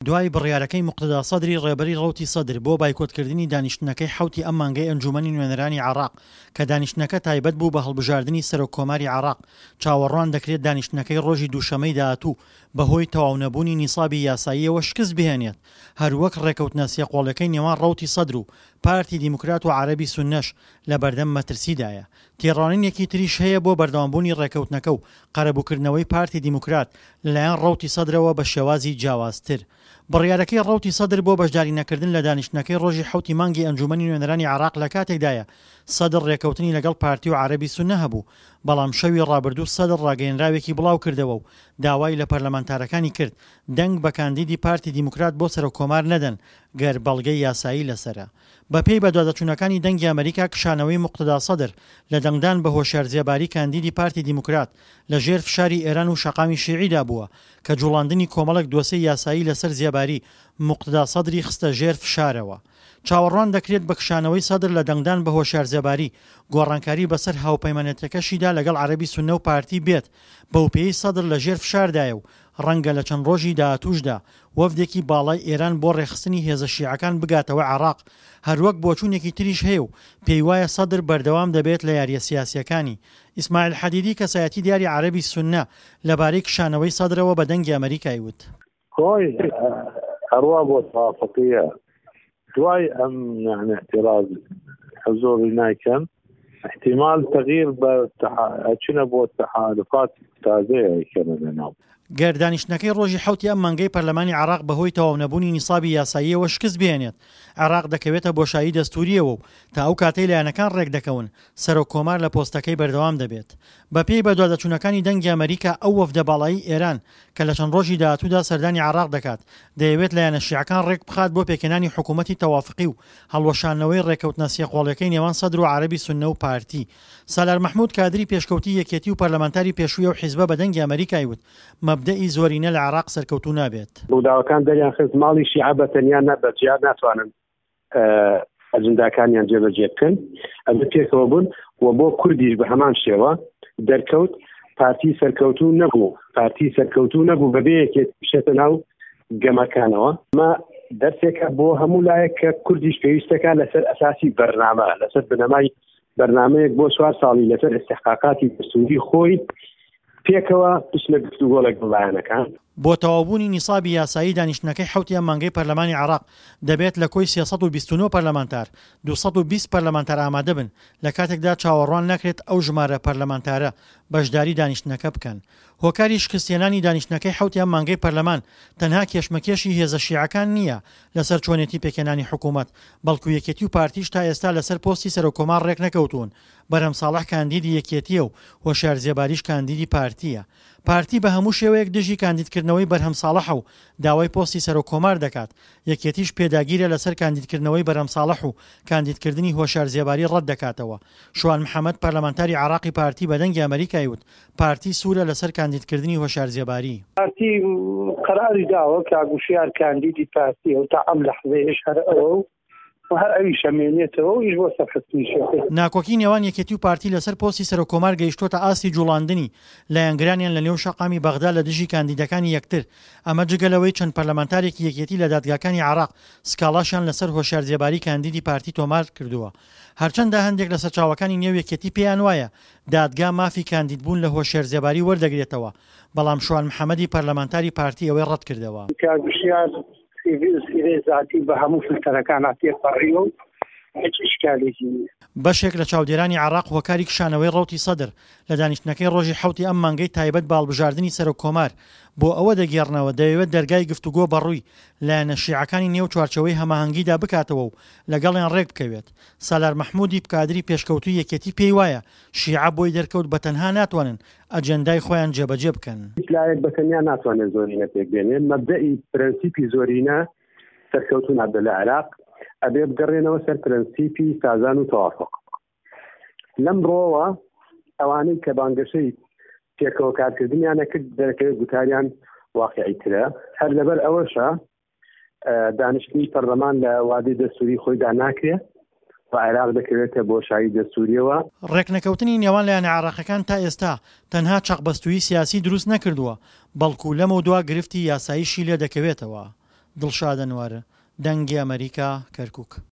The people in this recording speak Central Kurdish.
دوای بڕیارەکەی موقتەدا سەدری ڕێبەری ڕەوتی سەدر بۆ بایکۆتکردنی دانیشتنەکەی حەوتی ئەم مانگەی ئەنجوومەنی نوێنەرانی عێراق کە دانیشتنەکە تایبەت بوو بە هەڵبژاردنی سەرۆک کۆماری عێراق چاوەڕوان دەکرێت دانیشتنەکەی ڕۆژی دووشەمەی داهاتوو بەهۆی تەواونەبوونی نیسابی یاساییەوە شکست بهێنێت هەروەک ڕێکەوتنە سێقۆڵیەکەی نێوان ڕەوتی سەدر و پارتی دیموکرات و عەرەبی سوننەش لەبەردەم مەترسیدایە. تێڕوانینێکی تریش هەیە بۆ بەردەوامبوونی ڕێکەوتنەکە و قەرەبووکردنەوەی پارتی دیموکرات لەلایەن ڕەوتی سەدرەوە بە شێوازی جیاوازتر. بڕیارەکەی ڕەوتی سەدر بۆ بەشدارینەکردن لە دانیشتنەکەی ڕۆژی حەوتی مانگی ئەنجوومەنی نوێنەرانی عێراق لەکاتێکدایە سەدر ڕێکەوتنی لەگەڵ پارتی و عەرەبی سوننە هەبوو، بەڵام شەوی ڕابردوو سەدر ڕاگەیەنراوێکی بڵاوکردەوە و داوای لە پەرلەمانتارەکانی کرد دەنگ بە کاندیدی پارتی دیموکرات بۆ سەرۆککۆمار نەدەن گەر بەڵگەی یاسایی لەسەرە. بەپێی بەدواداچوونەکانی دەنگی ئەمەریکا کشانەوەی موقتەدا سەدر لە دەنگدان بە هۆشیار زێباری کاندیدی پارتی دیموکرات لە ژێر فشاری ئێران و شەقامی شیعیدا بووە کە جوڵاندنی کۆمەڵێک دۆسێی یاسایی لەسەر زێباری موقتەدا سەدری خستە ژێر فشارەوە. چاوەڕوان دەکرێت بە کشانەوەی سەدر لە دەنگدان بە هۆشیار زێباری گۆڕانکاری بەسەر هاوپەیمانێتیەکەشیدا لەگەڵ عەرەبی سوننە و پارتی بێت بەوپێیەی سەدر لە ژێر فشاردایە و ڕەنگە لە چەند ڕۆژی داهاتووشدا وەفدێکی باڵای ئێران بۆ ڕێکخستنی هێزە شیعەکان بگاتەوە عێراق، هەروەک بۆچوونێکی تریش هەیە و پێیوایە سەدر بەردەوام دەبێت لە یارییە سیاسییەکانی. ئیسماعیل حەدیدی کەسایەتی دیاری عەرەبی سوننە لەبارەی کشانەوەی سەدرەوە بە دەنگی ئەمەریکای وت. خۆی ئەڕوا بۆ تەوافقیە دوای ئەم یعنی اعتراض حزوری نایکەن احتمال تغییر بە ئەچنە بۆ تحالفات تازەیە ئەیکەنە لەناو. گەر دانیشتنەکەی ڕۆژی حەوتی ئەم مانگەی پەرلەمانی عێراق بەهۆی تەواونەبوونی نیسابی یاساییەوە شکست بهێنێت، عێراق دەکەوێتە بۆشایی دەستوورییەوە و تا ئەو کاتەی لایەنەکان ڕێکدەکەون، سەرۆک کۆمار لە پۆستەکەی بەردەوام دەبێت. بەپێی بەدواداچوونەکانی دەنگی ئەمەریکا، ئەو وەفدە باڵایەی ئێران کە لە چەند ڕۆژی داهاتوودا سەردانی عێراق دەکات، دەیەوێت لایەنە شیعەکان ڕێکبخات بۆ پێکهێنانی حکوومەتی تەوافقی و هەڵوەشاندنەوەی ڕێککەوتنە سێقۆڵیەکەی نێوان سەدر و عەرەبی سوننە و پارتی. سالار مەحمود کادری پێشکەوتوی یەکێتی و پەرلەمانتاری پێشووی ئەو حیزبە بە دەنگی ئەمەریکای وت، مەبدەئی زۆرینە لە عێراق سەرکەوتوو نابێت. ڕووداوەکان دەریانخست ماڵی شیعە بە تەنیا نە بە جیا ناتوانن ئەجنداکانیان جێبەجێ بکەن ئەبێ پێکەوە بوون و بۆ کوردیش بە هەمان شێوە دەرکەوت پارتی سەرکەوتوو نەبوو پارتی سەرکەوتوو نەبوو بەبێ یەکێت بچێتە ناو گەمەکانەوە ئەمە دەرسێکە بۆ هەموو لایەک کە کوردیش پێویستەکە لەسەر ئەساسی بەرنامە لەسەر بنەمای بەرنامەیەک بۆ چوار ساڵی لەسەر ئیستحقاقاتی دەستوری خۆی پێکەوە بچنە گفتوگۆ لەگەڵ لایەنەکان. بۆ تەواوبوونی نیسابی یاسایی دانیشتنەکەی حەوتی ئەم مانگەی پەرلەمانی عێراق، دەبێت لە کۆی 329 پەرلەمانتار، 220 پەرلەمانتار ئامادەبن، لە کاتێکدا چاوەڕوان ناکرێت ئەو ژمارە پەرلەمانتارە بەشداری دانیشتنەکە بکەن. هۆکاری شکستهێنانی دانیشتنەکەی حەوتی ئەم مانگەی پەرلەمان تەنها کێشمەکێشی هێزە شیعەکان نییە لەسەر چۆنێتی پێکهێنانی حکوومەت، بەڵکو یەکێتی و پارتیش تا ئێستا لەسەر پۆستی سەرۆککۆمار رێکنەکەوتوون، بەرهەم ساڵح کاندیدی یەکێتییە و هۆشیار زێباریش کاندیدی پارتییە. پارتی بە هەموو شێوەیەک دژی کاندیدکردنەوەی بەرهەم ساڵحە و داوای پۆستی سەرۆک کۆمار دەکات، یەکێتیش پێداگیرە لەسەر کاندیدکردنەوەی بەرهەم ساڵح و کاندیدکردنی هۆشیار زێباری ڕەتدەکاتەوە. شوان محەمەد پەرلەمانتاری عێراقی پارتی بە دەنگی ئەمەریکای وت، پارتی سوورە لەسەر کاندیدکردنی هۆشیار زێباری. پارتی قەراری داوە کاک وشیار کاندیدی پارتیە و تا ئەم لەحزەیەش هەر ئەوە و و هەر ئەویش ئەمێنێتەوە و ئیش بۆ سەرخستنیشی ئەکەین. ناکۆکی نێوان یەکێتی و پارتی لەسەر پۆستی سەرۆککۆمار گەیشتووەتە ئاستی جوڵاندنی لایەنگرانیان لە نێو شەقامی بەغدا لە دژی کاندیدەکانی یەکتر، ئەمە جگە لەوەی چەند پەرلەمانتارێکی یەکێتی لە دادگاکانی عێراق سکاڵاشیان لەسەر هۆشیار زێباری کاندیدی پارتی تۆمار کردووە. هەرچەندە هەندێک لە سەرچاوەکانی نێو یەکێتی پێیان وایە دادگا مافی کاندیدبوون لە هۆشیار زێباری وەردەگرێتەوە، بەڵام شوان محەمەدی پەرلەمانتاری پارتی ئەوەی ڕەتکردەوە. کاک هۆشیار سیڤی و سیرەی زاتی بە هەموو فلتەرەکانا تێپەڕیوە و هیچ ئیشکالێکی نییە. بەشێک لە چاودێرانی عێراق هۆکاری کشانەوەی ڕەوتی سەدر لە دانیشتنەکەی ڕۆژی حەوتی ئەم مانگەی تایبەت بە هەڵبژاردنی سەرۆک کۆمار بۆ ئەوە دەگێڕنەوە دەیەوێت دەرگای گفتوگۆ بەڕووی لایەنە شیعەکانی نێو چوارچێوەی هەماهەنگیدا بکاتەوە و لەگەڵیان ڕێکبکەوێت. سالار مەحمودی کادری پێشکەوتووی یەکێتی پێی وایە شیعە بۆی دەرکەوت بە تەنها ناتوانن ئەجێندای خۆیان جێبەجێ بکەن. هیچ لایەک بە تەنیا ناتوانێت زۆرینە پێک بێنێ، مەبدەئی پرەنسیپی زۆرینە سەرکەوتوو نابێت لە عێراق، ئەبێ بگەڕێنەوە سەر پرەنسیپی سازان و تەوافق. لەم ڕۆوە ئەوانەی کە بانگەشەی پێکەوە کارکردنیان ئەکرد دەرەکەوێت گوتاریان واقیعی ترە، هەر لەبەر ئەوەشە دانیشتنی پەرلەمان لە وادەی دەستوری خۆیدا ناکرێ و عێراق دەکەوێتە بۆشایی دەستوریەوە. ڕێکنەکەوتنی نێوان لایەنە عێراقیەکان تا ئێستا تەنها چەقبەستوویی سیاسی دروست نەکردووە، بەڵکو لەمەودوا گرفتی یاساییشی لێدەکەوێتەوە. دڵشاد ئەنوەر، دەنگی ئەمەریکا، کەرکوک.